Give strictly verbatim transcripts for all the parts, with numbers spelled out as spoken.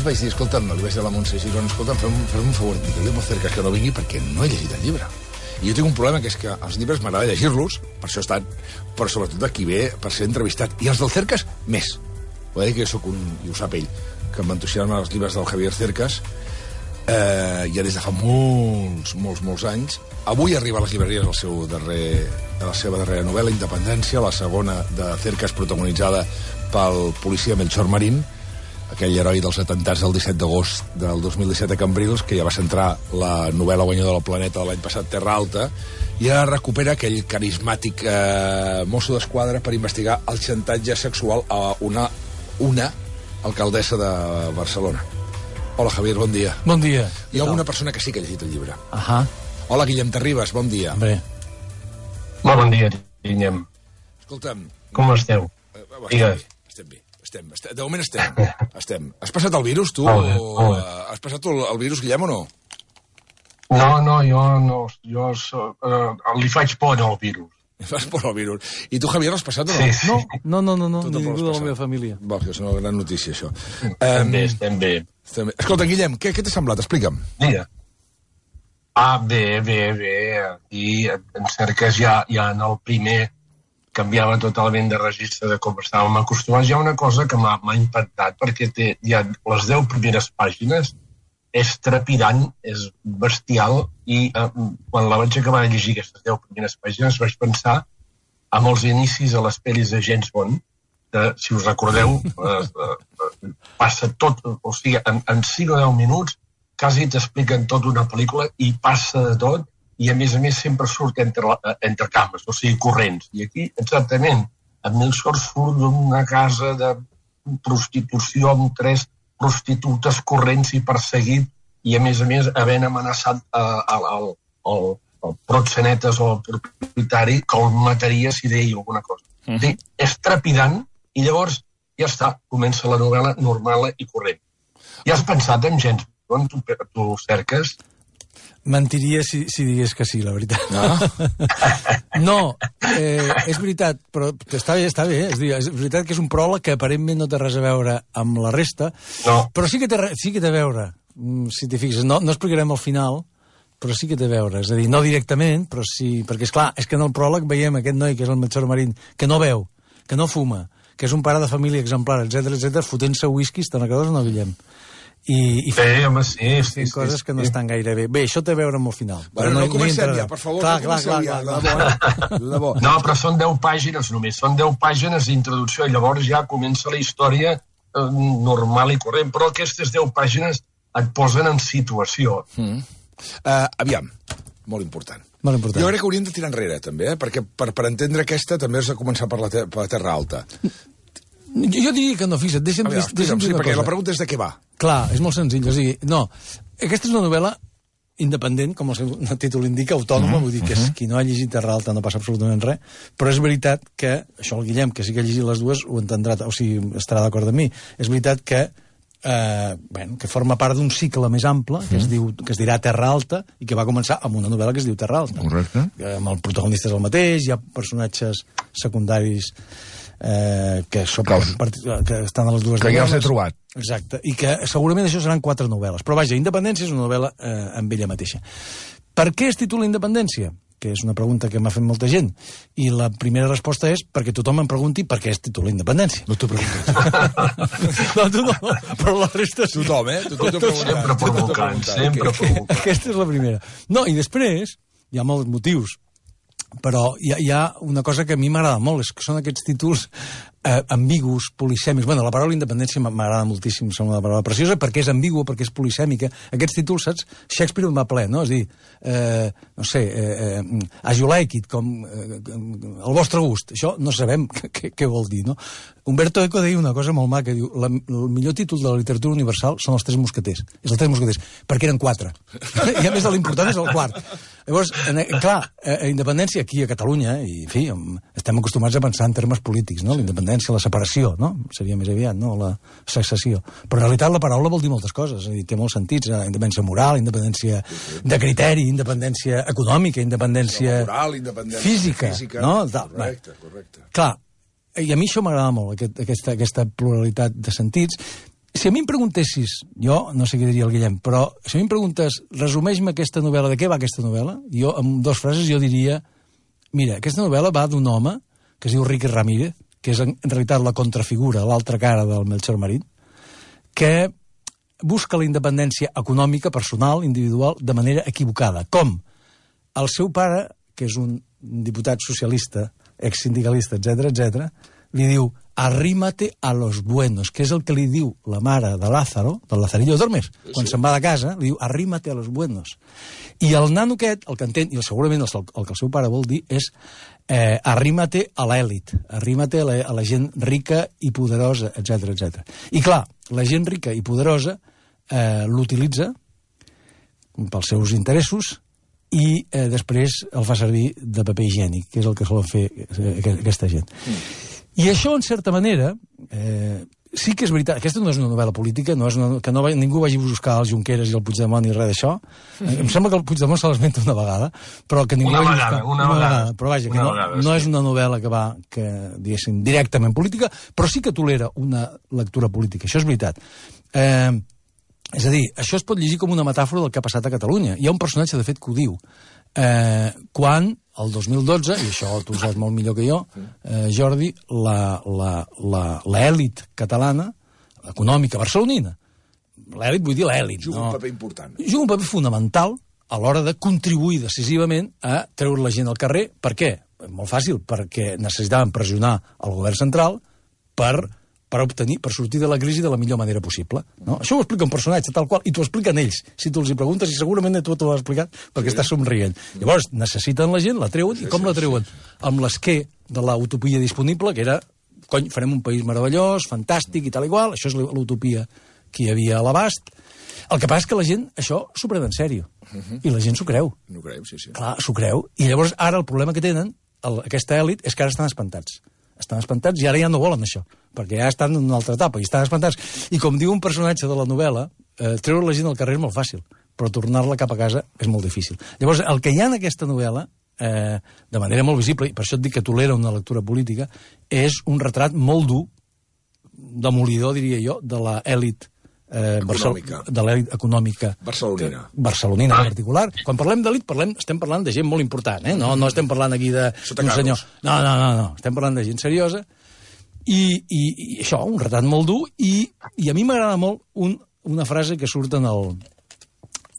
vaig dir, escolta'm, li vaig dir a la Montse Girona, escolta'm, fem, fem un favor, digue-li a Cercas que no vingui perquè no he llegit el llibre. I jo tinc un problema, que és que els llibres m'agrada llegir-los, per això estan, però sobretot aquí ve per ser entrevistat. I els del Cercas, més. Ho he dit que jo soc un, i ho sap ell, que m'entusiasmen els llibres del Javier Cercas, eh, ja des de fa molts, molts, molts anys. Avui arriba a les llibreries el seu darrer, la seva darrera novel·la, Independència, la segona de Cercas, protagonitzada pel policia Melchor Marín, aquell heroi dels atemptats del disset d'agost del dos mil disset a Cambrils, que ja va centrar la novel·la guanyadora del Planeta de l'any passat, Terra Alta, i ara recupera aquell carismàtic eh, mosso d'esquadra per investigar el xantatge sexual a una, una alcaldessa de Barcelona. Hola, Javier, bon dia. Bon dia. Hi ha alguna persona que sí que ha llegit el llibre. Ahà. Hola, Guillem Terribas, bon dia. Bé. Molt bon dia, Guillem. Escolta'm... Com esteu? Eh, estem bé, estem bé. Estem, estem, de moment estem. estem. Has passat el virus, tu? Oh, oh. O, has passat el, el virus, Guillem, o no? No, no, jo no. Jo so, uh, li faig por al virus. Fas por al virus. I tu, Javier, l'has passat o no? Sí, sí. No, no, no, no, Tu no tampoc ningú l'has de la meva passat. família. Va, és una gran notícia, això. Estem bé, estem bé. estem bé. Escolta, Guillem, què, què t'ha semblat? Explica'm. Mira. Ah, bé, bé, bé. I en Cercas ja, ja en el primer canviava totalment de registre de com estàvem acostumats. Hi ha una cosa que m'ha impactat, perquè té ja les deu primeres pàgines, és trepidant, és bestial, i eh, quan la vaig acabar de llegir aquestes deu primeres pàgines vaig pensar en els inicis a les pel·lis de James Bond, que, si us recordeu, eh, eh, passa tot, o sigui, en, en cinc o deu minuts quasi t'expliquen tota una pel·lícula i passa de tot, i a més a més sempre surt entre, entre cames, o sigui, corrents. I aquí, exactament, en Melchor surt d'una casa de prostitució amb tres prostitutes corrents i perseguit, i a més a més havent amenaçat al proxenetes o al propietari que el mataria si deia alguna cosa. Uh -huh. Sí, és trepidant, i llavors ja està, comença la novel·la normal i corrent. Ja has pensat en James Bond, tu, tu Cercas? Mentiria si, si digués que sí, la veritat. No? No, eh, és veritat, però està bé, està bé. Eh? És, dir, és veritat que és un pròleg que aparentment no té res a veure amb la resta, no. Però sí que té, sí que té a veure, si t'hi fixes. No, no explicarem al final, però sí que té a veure. És a dir, no directament, però sí... Perquè, és clar, és que en el pròleg veiem aquest noi, que és el Melchor Marín, que no veu, que no fuma, que és un pare de família exemplar, etcètera, etcètera, fotent-se whisky, te'n recordes o no, Guillem? I, i sí, home, sí, sí, sí, coses sí, que no sí. estan gaire bé. Bé, això té a veure amb el final. Bueno, no, no comencem ja, per favor. Clar, no clar, clar, ja, clar, clar. De bo. No, però són deu pàgines només, són deu pàgines d'introducció, i llavors ja comença la història eh, normal i corrent, però aquestes deu pàgines et posen en situació. Mm. Uh, aviam, molt important. Molt important. Jo crec que hauríem de tirar enrere, també, eh? perquè per, per entendre aquesta també has de començar per la, ter per la Terra Alta. Jo, jo diria que no, fixa't, deixa'm, Veure, deixa'm sí, dir una perquè cosa. la pregunta és de què va. Clar, és molt senzill, o sigui, no, aquesta és una novel·la independent, com el seu títol indica, autònoma, uh -huh, vull dir que és, uh -huh. qui no ha llegit Terra Alta no passa absolutament res, però és veritat que, això el Guillem, que sí que ha llegit les dues, ho entendrà, o sigui, estarà d'acord amb mi, és veritat que Eh, bueno, que forma part d'un cicle més ample que, mm. es diu, que es dirà Terra Alta i que va començar amb una novel·la que es diu Terra Alta. Correcte. Eh, amb el protagonista és el mateix, hi ha personatges secundaris eh, que, són, que estan a les dues que novel·les. ja els he trobat. Exacte, i que segurament això seran quatre novel·les. Però vaja, Independència és una novel·la eh, amb ella mateixa. Per què es titula Independència? Que és una pregunta que m'ha fet molta gent. I la primera resposta és perquè tothom em pregunti per què es titula Independència. No t'ho preguntes. No, tu no, però la resta sí. Tothom, eh? Tothom t'ho preguntat. Sempre provocant, sempre provocant. Aquesta és la primera. No, i després hi ha molts motius, però hi ha, hi ha una cosa que a mi m'agrada molt, és que són aquests títols eh, ambigus, polisèmics. Bueno, la paraula independència m'agrada moltíssim, sembla una paraula preciosa, perquè és ambigua, perquè és polisèmica. Aquests títols, saps? Shakespeare en va ple, no? És a dir, eh, no sé, eh, eh, as you like it, com eh, el vostre gust. Això no sabem què, què vol dir, no? Humberto Eco deia una cosa molt maca, diu, la, el millor títol de la literatura universal són els Tres Mosqueters. És els Tres Mosqueters, perquè eren quatre. I a més l'important és el quart. Llavors, en, clar, a independència aquí a Catalunya, i en fi, estem acostumats a pensar en termes polítics, no? La independència, la separació, no? Seria més aviat, no? La secessió. Però en realitat la paraula vol dir moltes coses, és a dir, té molts sentits, independència moral, independència de criteri, independència econòmica, independència moral, independència física, física, no? Correcte, correcte. Clar, i a mi això m'agrada molt, aquest, aquesta, aquesta pluralitat de sentits, Si a mi em preguntessis, jo no sé què diria el Guillem, però si a mi em preguntes, resumeix-me aquesta novel·la, de què va aquesta novel·la? Jo, amb dues frases, jo diria, mira, aquesta novel·la va d'un home que es diu Ricky Ramírez, que és en, en realitat la contrafigura, l'altra cara del Melchor Marín, que busca la independència econòmica, personal, individual, de manera equivocada. Com? El seu pare, que és un diputat socialista, exsindicalista, etcètera, etcètera, li diu, arrímate a los buenos, que és el que li diu la mare de Lázaro, del Lazarillo Dormes, quan sí. se'n va de casa, li diu, arrímate a los buenos. I el nano aquest, el que entén, i segurament el, el que el seu pare vol dir, és eh, arrímate a l'èlit, arrímate a la, a la gent rica i poderosa, etcètera, etcètera. I clar, la gent rica i poderosa eh, l'utilitza pels seus interessos i eh, després el fa servir de paper higiènic, que és el que solen fer eh, aquesta gent. Mm. I això, en certa manera, eh, sí que és veritat. Aquesta no és una novel·la política, no és una, que no va, ningú vagi a buscar els Junqueras i el Puigdemont i res d'això. Mm-hmm. Em sembla que el Puigdemont se l'esmenta una vegada, però que ningú una vagi a vegada, buscar... Una, una vegada, Però vaja, que una no, vegada, no sí. és una novel·la que va, que, diguéssim, directament política, però sí que tolera una lectura política. Això és veritat. Eh, és a dir, això es pot llegir com una metàfora del que ha passat a Catalunya. Hi ha un personatge, de fet, que ho diu. Eh, quan, el dos mil dotze, i això tu ho saps molt millor que jo, eh, Jordi, l'èlit catalana, econòmica, barcelonina, l'èlit, vull dir l'èlit. Juga no? un paper important. Juga un paper fonamental a l'hora de contribuir decisivament a treure la gent al carrer. Per què? Molt fàcil, perquè necessitaven pressionar el govern central per... per obtenir, per sortir de la crisi de la millor manera possible. No? Això ho explica un personatge tal qual, i t'ho expliquen ells. Si tu els hi preguntes, i segurament tu t'ho has explicat, perquè sí. estàs somrient. Llavors, necessiten la gent, la treuen, sí, i com sí, la treuen? Sí. Amb l'esquer de l'utopia disponible, que era, cony, farem un país meravellós, fantàstic i tal i qual, això és l'utopia que hi havia a l'abast. El que passa és que la gent, això, s'ho pren en sèrio. Uh-huh. I la gent s'ho creu. No creu, sí, sí. Clar, s'ho creu. I llavors, ara el problema que tenen, el, aquesta èlit, és que ara estan espantats. Estan espantats i ara ja no volen això, perquè ja estan en una altra etapa i estan espantats. I com diu un personatge de la novel·la, eh, treure la gent al carrer és molt fàcil, però tornar-la cap a casa és molt difícil. Llavors, el que hi ha en aquesta novel·la, eh, de manera molt visible, i per això et dic que tolera una lectura política, és un retrat molt dur, demolidor, diria jo, de l'èlit eh, econòmica. de l'èlit econòmica barcelonina. Que, barcelonina en particular. Quan parlem d'èlit, parlem, estem parlant de gent molt important, eh? no, no estem parlant aquí d'un senyor. No, no, no, no, estem parlant de gent seriosa. I, i, i això, un retrat molt dur, i, i a mi m'agrada molt un, una frase que surt en el...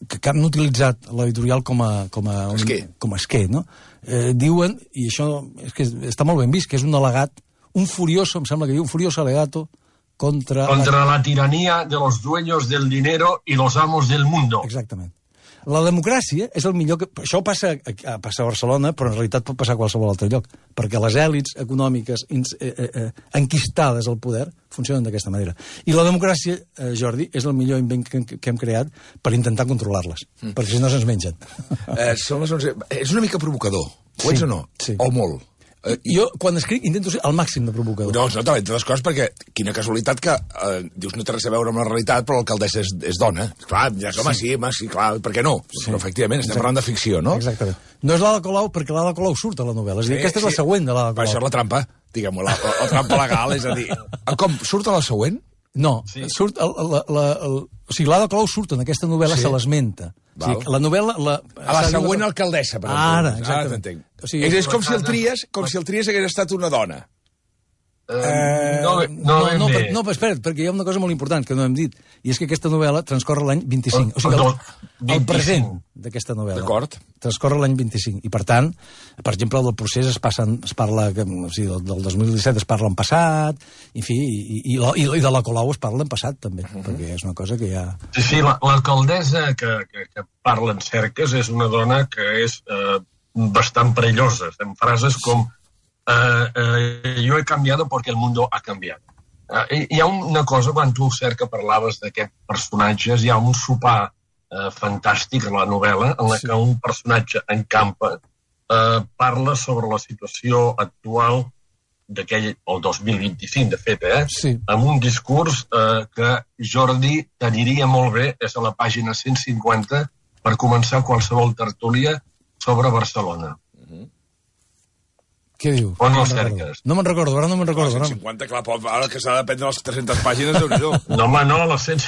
que, que han utilitzat l'editorial com a... com a, un, com a esquer, no? Eh, diuen, i això és que està molt ben vist, que és un al·legat, un furioso, em sembla que diu, un furioso alegato contra... Contra la, la tiranía de los dueños del dinero y los amos del mundo. Exactament. La democràcia és el millor que... Això passa a, passa a Barcelona, però en realitat pot passar a qualsevol altre lloc, perquè les èlits econòmiques ins, eh, eh, enquistades al poder funcionen d'aquesta manera. I la democràcia, eh, Jordi, és el millor invent que, que hem creat per intentar controlar-les, mm. perquè si no se'ns mengen. Eh, són les onze... És una mica provocador, ho sí, ets o no? Sí. O molt? Uh, jo, quan escric, intento ser al màxim de provocador. No, no, entre les coses, perquè quina casualitat que eh, dius no té res a veure amb la realitat, però l'alcaldessa és, és dona. Clar, ja, home, sí, home, sí, clar, per què no? Sí. Però, efectivament, estem Exacte. parlant de ficció, no? Exactament. No és l'Ada Colau, perquè l'Ada Colau surt a la novel·la. És a dir, sí, aquesta és la següent de l'Ada Colau. Però això és la trampa, diguem-ho, la, la, la trampa legal, és a dir... Com, surt a la següent? No, sí. surt... El, la, la, el, o sigui, l'Ada Colau surt en aquesta novel·la, sí. se l'esmenta. O sigui, la novel·la... La, a la següent la... alcaldessa, per exemple. Ara, exactament. Ara t'entenc. O sigui, és, és com si el tries, com si el tries hagués estat una dona. Uh, no, no, no, no, per, no, espera't, perquè hi ha una cosa molt important que no hem dit, i és que aquesta novel·la transcorre l'any vint-i-cinc. O sigui, el, el present d'aquesta novel·la. D'acord. Transcorre l'any vint-i-cinc. I, per tant, per exemple, del procés es, passen, es parla, o sigui, del, del dos mil disset es parla en passat, en fi, i, i, i, i de la Colau es parla en passat, també, uh -huh. perquè és una cosa que ja... Sí, sí, l'alcaldessa que, que, que parla en cerques és una dona que és eh, bastant perillosa, en frases com Uh, uh, jo he canviado porque el mundo ha canviat. Uh, hi ha una cosa, quan tu, Cerca, parlaves d'aquests personatges, hi ha un sopar uh, fantàstic a la novel·la en la sí. que un personatge en campa uh, parla sobre la situació actual d'aquell, el dos mil vint-i-cinc, de fet, eh? Sí. Amb un discurs uh, que Jordi t'aniria molt bé, és a la pàgina cent cinquanta, per començar qualsevol tertúlia sobre Barcelona. Què diu? On no el cerques? No me'n recordo, ara no me'n recordo. cent cinquanta, clar, ara que s'ha de prendre les tres-centes pàgines, déu-n'hi-do. No, home, no, les cent...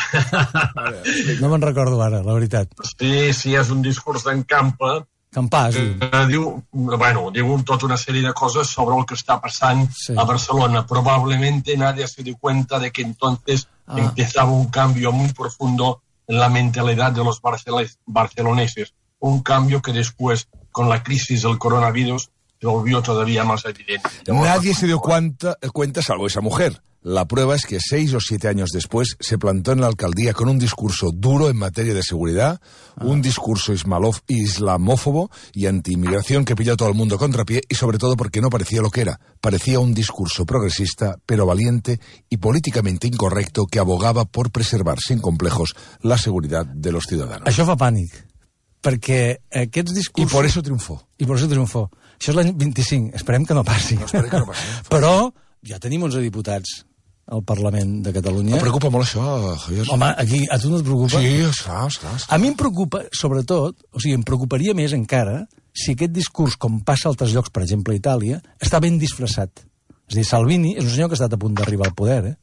No me'n recordo ara, la veritat. Sí, sí, és un discurs d'en Campa, Campà, sí. que diu, bueno, diu tota una sèrie de coses sobre el que està passant Sí. a Barcelona. Probablemente nadie se dio cuenta de que entonces Ah. empezaba un cambio muy profundo en la mentalidad de los barcel- barceloneses. Un cambio que después, con la crisis del coronavirus, se volvió todavía más evidente. Nadie se dio cuenta, cuenta salvo esa mujer. La prueba es que seis o siete años después se plantó en la alcaldía con un discurso duro en materia de seguridad, ah. un discurso ismalof- islamófobo y anti-inmigración que pilló a todo el mundo contrapié y sobre todo porque no parecía lo que era. Parecía un discurso progresista, pero valiente y políticamente incorrecto que abogaba por preservar sin complejos la seguridad de los ciudadanos. Això fa pànic, perquè aquests Y discursos... por eso triunfó. I per això triomfó. Això és l'any vint-i-cinc, esperem que no passi. No, esperem que no passi. Però ja tenim onze diputats al Parlament de Catalunya. Em preocupa molt això, Javier. Home, aquí a tu no et preocupa? Sí, esclar, esclar. esclar. A mi em preocupa, sobretot, o sigui, em preocuparia més encara si aquest discurs, com passa a altres llocs, per exemple a Itàlia, està ben disfressat. És a dir, Salvini és un senyor que ha estat a punt d'arribar al poder, eh?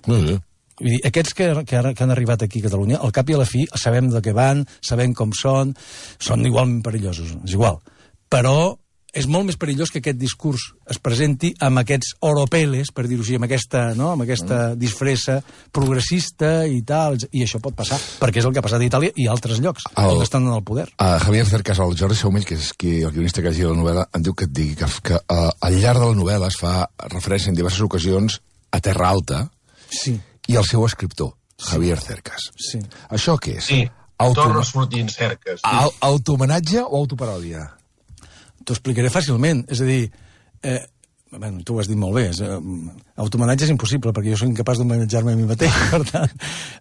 Molt bé. Vull dir, aquests que, que, ara, que han arribat aquí a Catalunya, al cap i a la fi, sabem de què van, sabem com són, són igualment perillosos, és igual. Però és molt més perillós que aquest discurs es presenti amb aquests oropeles, per dir-ho així, amb aquesta, no? amb aquesta disfressa progressista i tal, i això pot passar, perquè és el que ha passat a Itàlia i a altres llocs, El- on estan en el poder. A Javier Cercas, el Jordi Saumell, que és qui, el guionista que ha llegit la novel·la, em diu que et digui que, que uh, al llarg de la novel·la es fa referència en diverses ocasions a Terra Alta Sí, i al seu escriptor, Javier Cercas. sí. Això què és? Sí, Auto... torna sortint cerques. Sí. Au- Autohomenatge o autoparòdia? T'ho explicaré fàcilment. És a dir, eh, bueno, tu ho has dit molt bé, és, eh, autohomenatge és impossible, perquè jo soc incapaç d'homenatjar-me a mi mateix, per tant.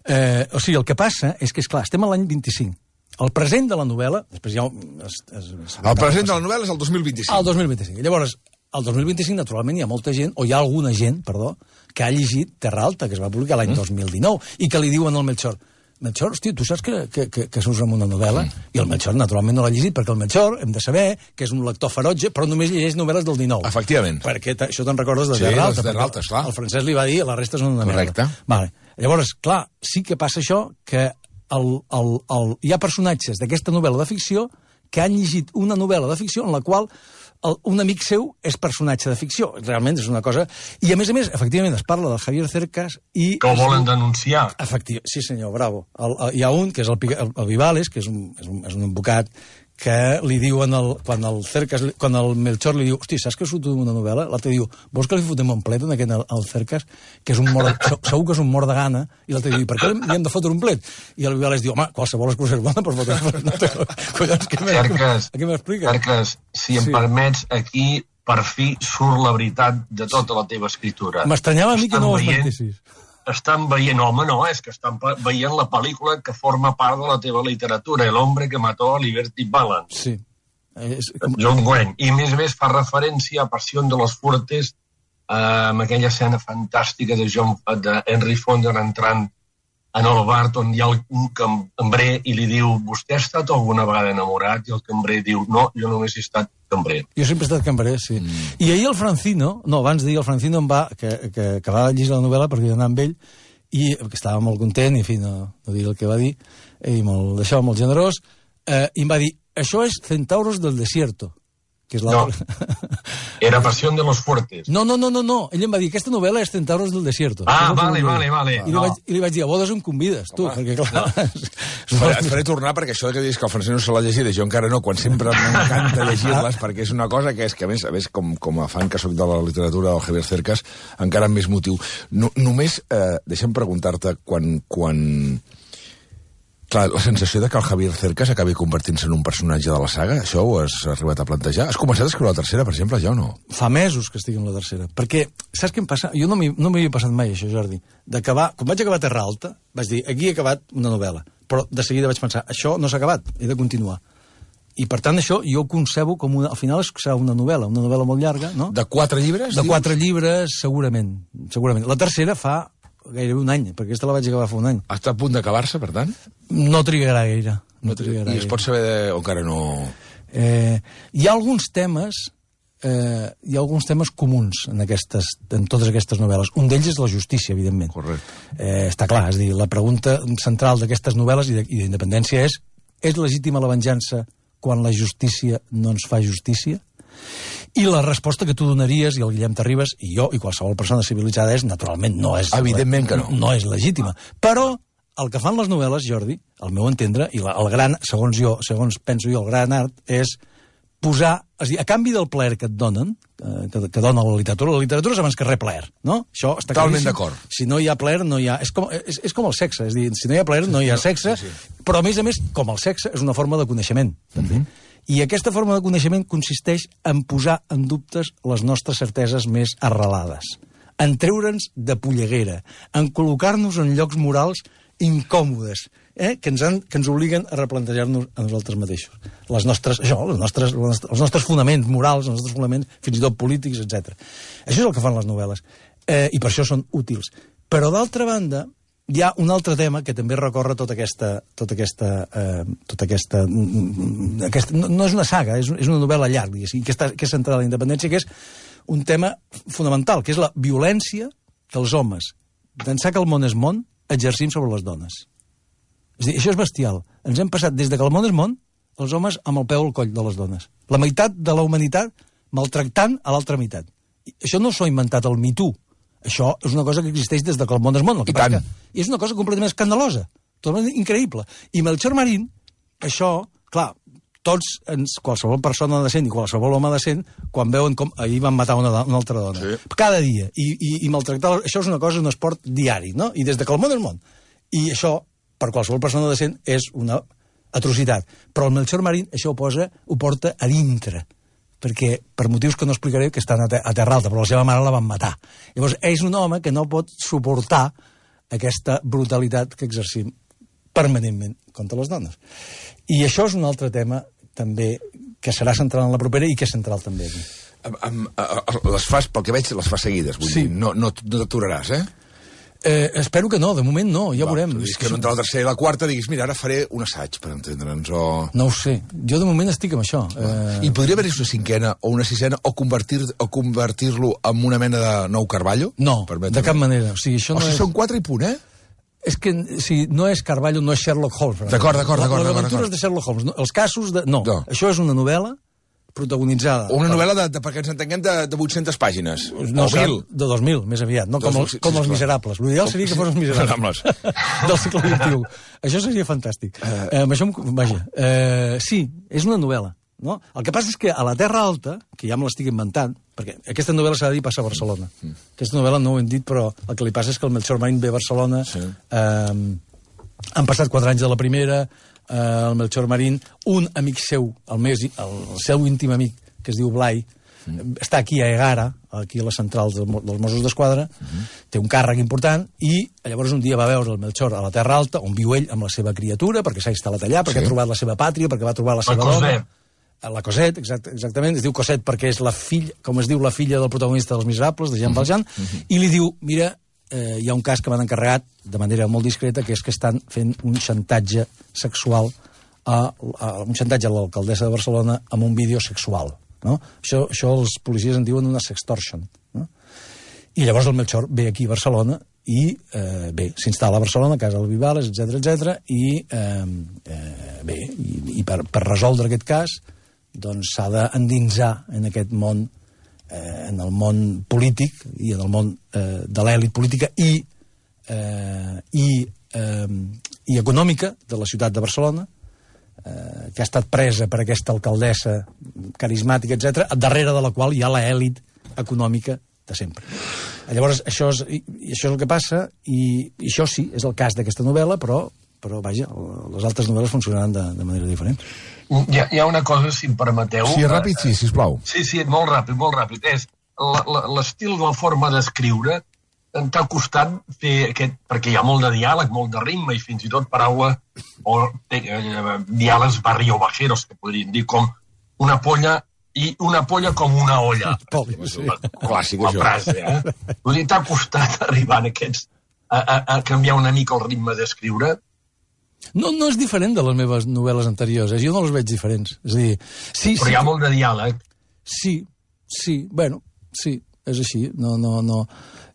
Eh, o sigui, el que passa és que, és clar, estem a l'any vint-i-cinc. El present de la novel·la... Després ja... Es, es, es, El present de la novel·la és el dos mil vint-i-cinc. El dos mil vint-i-cinc. I llavors, el dos mil vint-i-cinc, naturalment, hi ha molta gent, o hi ha alguna gent, perdó, que ha llegit Terra Alta, que es va publicar l'any mm. dos mil dinou, i que li diuen al Melchor, Melchor, hosti, tu saps que, que, que, que surts amb una novel·la? Mm. I el Melchor, naturalment, no l'ha llegit, perquè el Melchor, hem de saber que és un lector ferotge, però només llegeix novel·les del dinou. Efectivament. Perquè això te'n recordes de Sí, Terra Alta. de Terra perquè Alta, esclar. El francès li va dir, la resta són una Correcte. merda. Vale. Llavors, clar, sí que passa això, que el, el, el, hi ha personatges d'aquesta novel·la de ficció que han llegit una novel·la de ficció en la qual el, un amic seu és personatge de ficció. Realment és una cosa... I, a més a més, efectivament, es parla del Javier Cercas i... Que ho volen denunciar. Efectivament, sí senyor, bravo. El, el, hi ha un, que és el, Pica- el, el Vivales, que és un, és, un, és un advocat, que li diuen, el, quan el Cercas, quan el Melchor li diu, hosti, saps que surt una novel·la? L'altre diu, vols que li fotem un plet en aquest, al Cercas, que és un mort, segur que és un mort de gana, i l'altre diu, per què li hem de fotre un plet? I el Vivales diu, home, qualsevol excusa és bona per fotre un plet. No té... Collons, què Cercas, m'expliques? Cercas, si em Sí. permets, aquí per fi surt la veritat de tota la teva escritura. M'estranyava a mi que Estan no ho veient- esmentessis. Estan veient, home, no, és que estan pa- veient la pel·lícula que forma part de la teva literatura, El hombre que mató a Liberty Balance. Sí. És... John Wayne. I a més a més fa referència a Passió de los Fuertes, eh, amb aquella escena fantàstica de, John, de Henry Fonda entrant en el bar on hi ha un cambrer i li diu, vostè ha estat alguna vegada enamorat? I el cambrer diu, no, jo només he estat cambrer. Jo sempre he estat cambrer, sí. Mm. I ahir el Francino, no, abans d'ahir el Francino em va, que, que, que va llegir la novel·la perquè jo anava amb ell, i que estava molt content, i en fi, no, no diré el que va dir, i molt, d'això molt generós, eh, i em va dir, això és Centauros del Desierto, que és l'altre... No. Era Passió de los Fuertes. No, no, no, no, no, ell em va dir, aquesta novel·la és Centauros del Desierto. Ah, Això és el que vale, volia vale, dir. vale. I li, No. vaig, I li vaig dir, a bodes em convides, tu, perquè clar... Et faré, et faré tornar, perquè això que dius que el francès no se l'ha llegit, jo encara no, quan sempre m'encanta llegir-les, perquè és una cosa que és que, a més, a més com, com a fan que sóc de la literatura del Javier Cercas, encara amb més motiu. No, només, eh, deixa'm preguntar-te, quan, quan... Clar, la sensació de que el Javier Cercas acabi convertint-se en un personatge de la saga, això ho has arribat a plantejar? Has començat a escriure la tercera, per exemple, ja o no? Fa mesos que estic en la tercera. Perquè, saps què em passa? Jo no m'hi no m'havia passat mai, això, Jordi. D'acabar... Quan vaig acabar Terra Alta, vaig dir, aquí he acabat una novel·la. Però de seguida vaig pensar, això no s'ha acabat, he de continuar. I, per tant, això jo ho concebo com una... Al final serà una novel·la, una novel·la molt llarga, no? De quatre llibres? De dius? quatre llibres, segurament. segurament. La tercera fa gairebé un any, perquè aquesta la vaig acabar fa un any. Està a punt d'acabar-se, per tant? No trigarà gaire. No trigarà I es gaire. pot saber de... o encara no... Eh, hi ha alguns temes eh, hi ha alguns temes comuns en, aquestes, en totes aquestes novel·les. Un d'ells és la justícia, evidentment. Correcte. Eh, està clar, és a dir, la pregunta central d'aquestes novel·les i d'independència és: és legítima la venjança quan la justícia no ens fa justícia? I la resposta que tu donaries, i el Guillem Terribas, i jo, i qualsevol persona civilitzada, és, naturalment, no és... Evidentment que no. No és legítima. Però el que fan les novel·les, Jordi, al meu entendre, i la, el gran, segons jo, segons penso jo, el gran art, és posar... És a dir, a canvi del plaer que et donen, eh, que, que dona la literatura, la literatura és abans que res plaer, no? Això està totalment claríssim. d'acord. Si no hi ha plaer, no hi ha... És com, és, és com el sexe, és a dir, si no hi ha plaer, no hi ha sexe, sí, sí. Però, a més a més, com el sexe, és una forma de coneixement, també. Mm -hmm. I aquesta forma de coneixement consisteix en posar en dubtes les nostres certeses més arrelades, en treure'ns de polleguera, en col·locar-nos en llocs morals incòmodes, eh? que, ens han, que ens obliguen a replantejar-nos a nosaltres mateixos. Les nostres, això, les nostres, els nostres fonaments morals, els nostres fonaments, fins i tot polítics, etcètera. Això és el que fan les novel·les, eh, i per això són útils. Però, d'altra banda, hi ha un altre tema que també recorre tota aquesta... Tota aquesta, eh, tota aquesta, aquesta no, no és una saga, és, és una novel·la llarga, diguéssim, que, està, que és centrada en la independència, que és un tema fonamental, que és la violència que els homes, d'ençà que el món és món, exercim sobre les dones. És a dir, això és bestial. Ens hem passat des de que el món és món, els homes amb el peu al coll de les dones. La meitat de la humanitat maltractant a l'altra meitat. I això no s'ho ha inventat el Me Too. Això és una cosa que existeix des de que el món és món. El que I tant. I és una cosa completament escandalosa, totalment increïble. I Melchor Marín, això, clar, tots, ens, qualsevol persona decent i qualsevol home decent, quan veuen com ahir van matar una, una altra dona, sí. cada dia, i, i, i maltractar, això és una cosa, un esport diari, no? I des de que el món és món. I això, per qualsevol persona decent, és una atrocitat. Però el Melchor Marín això ho, posa, ho porta a dintre, perquè, per motius que no explicaré, que estan a, te a Terra Alta, però la seva mare la van matar. Llavors, és un home que no pot suportar aquesta brutalitat que exercim permanentment contra les dones. I això és un altre tema, també, que serà central en la propera i que és central també aquí. Am, am, les fas, pel que veig, les fas seguides, vull sí. dir, no, no, no t'aturaràs, eh? Eh, espero que no, de moment no, ja Va, veurem. És que no entre la tercera i la quarta diguis, mira, ara faré un assaig, per entendre'ns, o... No ho sé, jo de moment estic amb això. Eh... I podria haver-hi una cinquena o una sisena o convertir-lo o convertir en una mena de nou Carballo? No, de cap manera. O sigui, això o no sigui, és... són quatre i punt, eh? És que si no és Carballo, no és Sherlock Holmes. D'acord, d'acord, d'acord. Les aventures de Sherlock Holmes, no, els casos de... No, no, això és una novel·la protagonitzada... O una per... novel·la, de, de, perquè ens entenguem, de, de vuit-centes pàgines. No, o mil. De dos mil, més aviat, no? Com, el, com els Miserables. L'ideal seria que fos els Miserables. Del segle vint-i-u. Això seria fantàstic. Uh... Eh, això, vaja, eh, sí, és una novel·la. No? El que passa és que a la Terra Alta, que ja me l'estic inventant, perquè aquesta novel·la s'ha de dir passa a Barcelona. Mm. Aquesta novel·la no ho hem dit, però el que li passa és que el Melchor Marín ve a Barcelona, sí. eh, han passat quatre anys de la primera, eh, el Melchor Marín, un amic seu, el, més, el, el seu íntim amic, que es diu Blai, mm. està aquí a Egara, aquí a la central de, dels Mossos d'Esquadra, mm. té un càrrec important, i llavors un dia va veure el Melchor a la Terra Alta, on viu ell amb la seva criatura, perquè s'ha instal·lat allà, perquè sí. ha trobat la seva pàtria, perquè va trobar la seva dona. La Cosette, exact, exactament, es diu Cosette perquè és la filla, com es diu la filla del protagonista dels Miserables, de Jean Valjean, uh -huh. i li diu, mira, eh, hi ha un cas que m'han encarregat de manera molt discreta, que és que estan fent un xantatge sexual, a, a, un xantatge a l'alcaldessa de Barcelona amb un vídeo sexual. No? Això, això els policies en diuen una sextortion. No? I llavors el Melchor ve aquí a Barcelona i eh, bé, s'instal·la a Barcelona, a casa del Vivales, etcètera, etcètera, i eh, eh, bé, i, i per, per resoldre aquest cas doncs s'ha d'endinsar en aquest món, eh, en el món polític i en el món eh, de l'èlit política i, eh, i, eh, i econòmica de la ciutat de Barcelona, eh, que ha estat presa per aquesta alcaldessa carismàtica, etcètera, darrere de la qual hi ha l'èlit econòmica de sempre. Llavors, això és, i, i això és el que passa, i, i això sí, és el cas d'aquesta novel·la, però, però vaja, les altres novel·les funcionaran de, de manera diferent. Hi ha, hi ha una cosa, si em permeteu... Sí, ràpid, sí, sisplau. Sí, sí, molt ràpid, molt ràpid. És l'estil, la forma d'escriure t'ha costat fer aquest... Perquè hi ha molt de diàleg, molt de ritme, i fins i tot paraula o eh, diàlegs barriobajeros, que podríem dir, com una polla i una polla com una olla. Poli, sí. Clàssic, això. Frase, eh? Vull dir, t'ha costat arribar a aquests... A, a, a canviar una mica el ritme d'escriure. No, no és diferent de les meves novel·les anteriors, eh? Jo no les veig diferents. És a dir, sí, Però sí, hi ha molt de diàleg. Sí, Sí, bueno, sí, és així. No, no, no...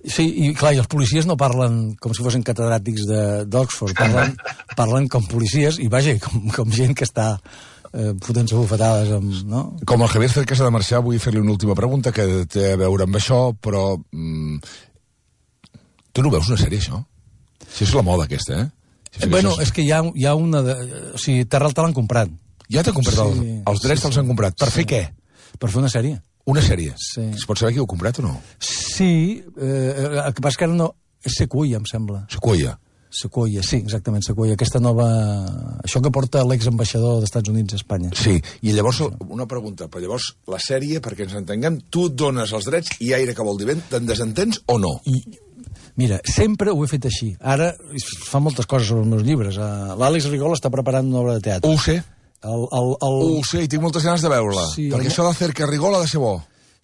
Sí, i clar, i els policies no parlen com si fossin catedràtics d'Oxford, parlen, parlen com policies, i vaja, com, com gent que està eh, fotent-se bufetades amb... No? Com el Javier Cercas ha de marxar, vull fer-li una última pregunta que té a veure amb això, però... Mm, tu no veus una sèrie, això? Si és la moda, aquesta, eh? Si eh bueno, és... és que hi ha, hi ha una... De... O sigui, Terral te l'han comprat. Ja t'ha comprat, sí, el, els drets sí, te'ls han comprat. Per sí. fer què? Per fer una sèrie. Una sèrie? Sí. Es pot saber qui ho ha comprat o no? Sí, eh, el que passa que ara no... És Sequoia, em sembla. Sequoia? Sequoia, sí, exactament, Sequoia. Aquesta nova... Això que porta l'exambaixador dels Estats Units a Espanya. Sí, i llavors, una pregunta, però llavors la sèrie, perquè ens entenguem, tu et dones els drets i aire que vol dir vent, te'n desentens o no? I, mira, sempre ho he fet així. Ara fa moltes coses sobre els meus llibres. L'Àlex Rigol està preparant una obra de teatre. Ho sé. El, el, el... Ho sé, i tinc moltes ganes de veure-la. Sí, perquè el... això de Cercas Rigol ha de ser bo.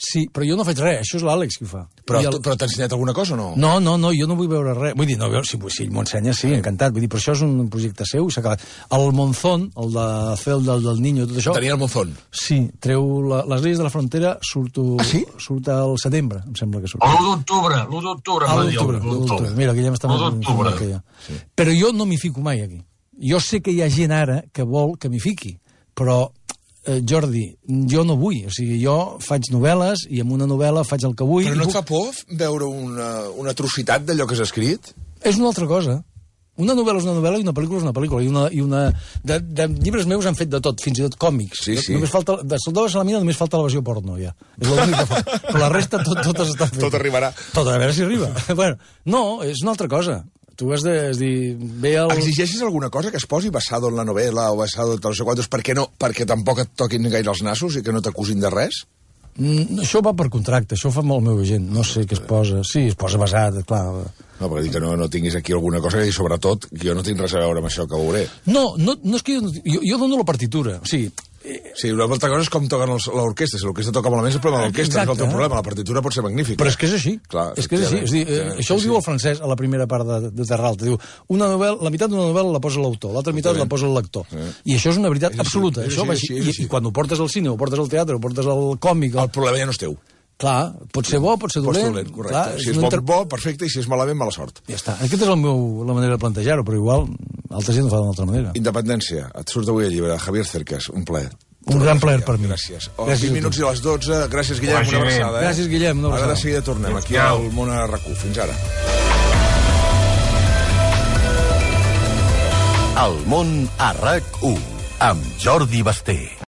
Sí, però jo no faig res, això és l'Àlex qui ho fa. Però, el... però t'ha ensenyat alguna cosa o no? No, no, no, jo no vull veure res. Vull dir, no, si, si m'ho ensenya, sí, encantat. Vull dir, però això és un projecte seu i s'ha acabat. El Monzón, el de fer el del, del Niño, tot això... Tenia el Monzón? Sí, treu la, les lleis de la frontera, surto, ah, sí? surt al setembre, em sembla que surt. l'u d'octubre, l'u d'octubre. Ah, l'u d'octubre, mira, Guillem està molt informat que ja. Sí. Però jo no m'hi fico mai, aquí. Jo sé que hi ha gent ara que vol que m'hi fiqui, però... Eh, Jordi, jo no vull, o sigui, jo faig novel·les i amb una novel·la faig el que vull... Però no et puc... fa por veure una, una atrocitat d'allò que has escrit? És una altra cosa. Una novel·la és una novel·la i una pel·lícula és una pel·lícula. I una, i una... De, de llibres meus han fet de tot, fins i tot còmics. Sí, sí. Només falta, de Soldado de Salamina només falta la versió porno, ja. És l'únic que fa. Però la resta tot, totes estan fetes. Tot arribarà. Tot, a veure si arriba. Bueno, no, és una altra cosa. Tu has de és dir, ve el... Exigeixes alguna cosa que es posi basado en la novel·la o basado en no sé quantos, perquè, no, perquè tampoc et toquin gaire els nassos i que no t'acusin de res? Mm, això va per contracte, això ho fa molt el meu agent. No sé què es posa. Sí, es posa basat, clar. No, perquè dic que no, no tinguis aquí alguna cosa i, sobretot, que jo no tinc res a veure amb això que veuré. No, no, no és que jo, jo, jo dono la partitura. O sigui... Sí, una altra cosa és com toquen l'orquestra. Si l'orquestra toca malament és el problema de l'orquestra, no és el teu problema. La partitura pot ser magnífica. Però és que és així. Clar, és que és així. És dir, eh, sí, això ho sí, diu el francès a la primera part de, de Terralta. Diu, una novel·la, la meitat d'una novel·la la posa l'autor, l'altra meitat la posa el lector. Sí. I això és una veritat és absoluta. És això així, és així, I, I quan ho portes al cine, ho portes al teatre, ho portes al còmic... El problema ja no és teu. Clar, pot ser bo, pot ser dolent. Pot ser dolent, correcte. Clar, si és bo, inter... bo, perfecte, i si és malament, mala sort. Ja està. Aquesta és el meu, la manera de plantejar-ho, però igual altra gent ho fa d'una altra manera. Independència. Et surt avui el llibre de Javier Cercas. Un plaer. Un gran plaer per mi. Gràcies. Oh, gràcies vint minuts i les dotze. Gràcies, Guillem. Una abraçada. Eh? Gràcies, Guillem. Una abraçada. Ara de seguida tornem aquí al Món a RAC u. Fins ara. El Món a RAC u amb Jordi Basté.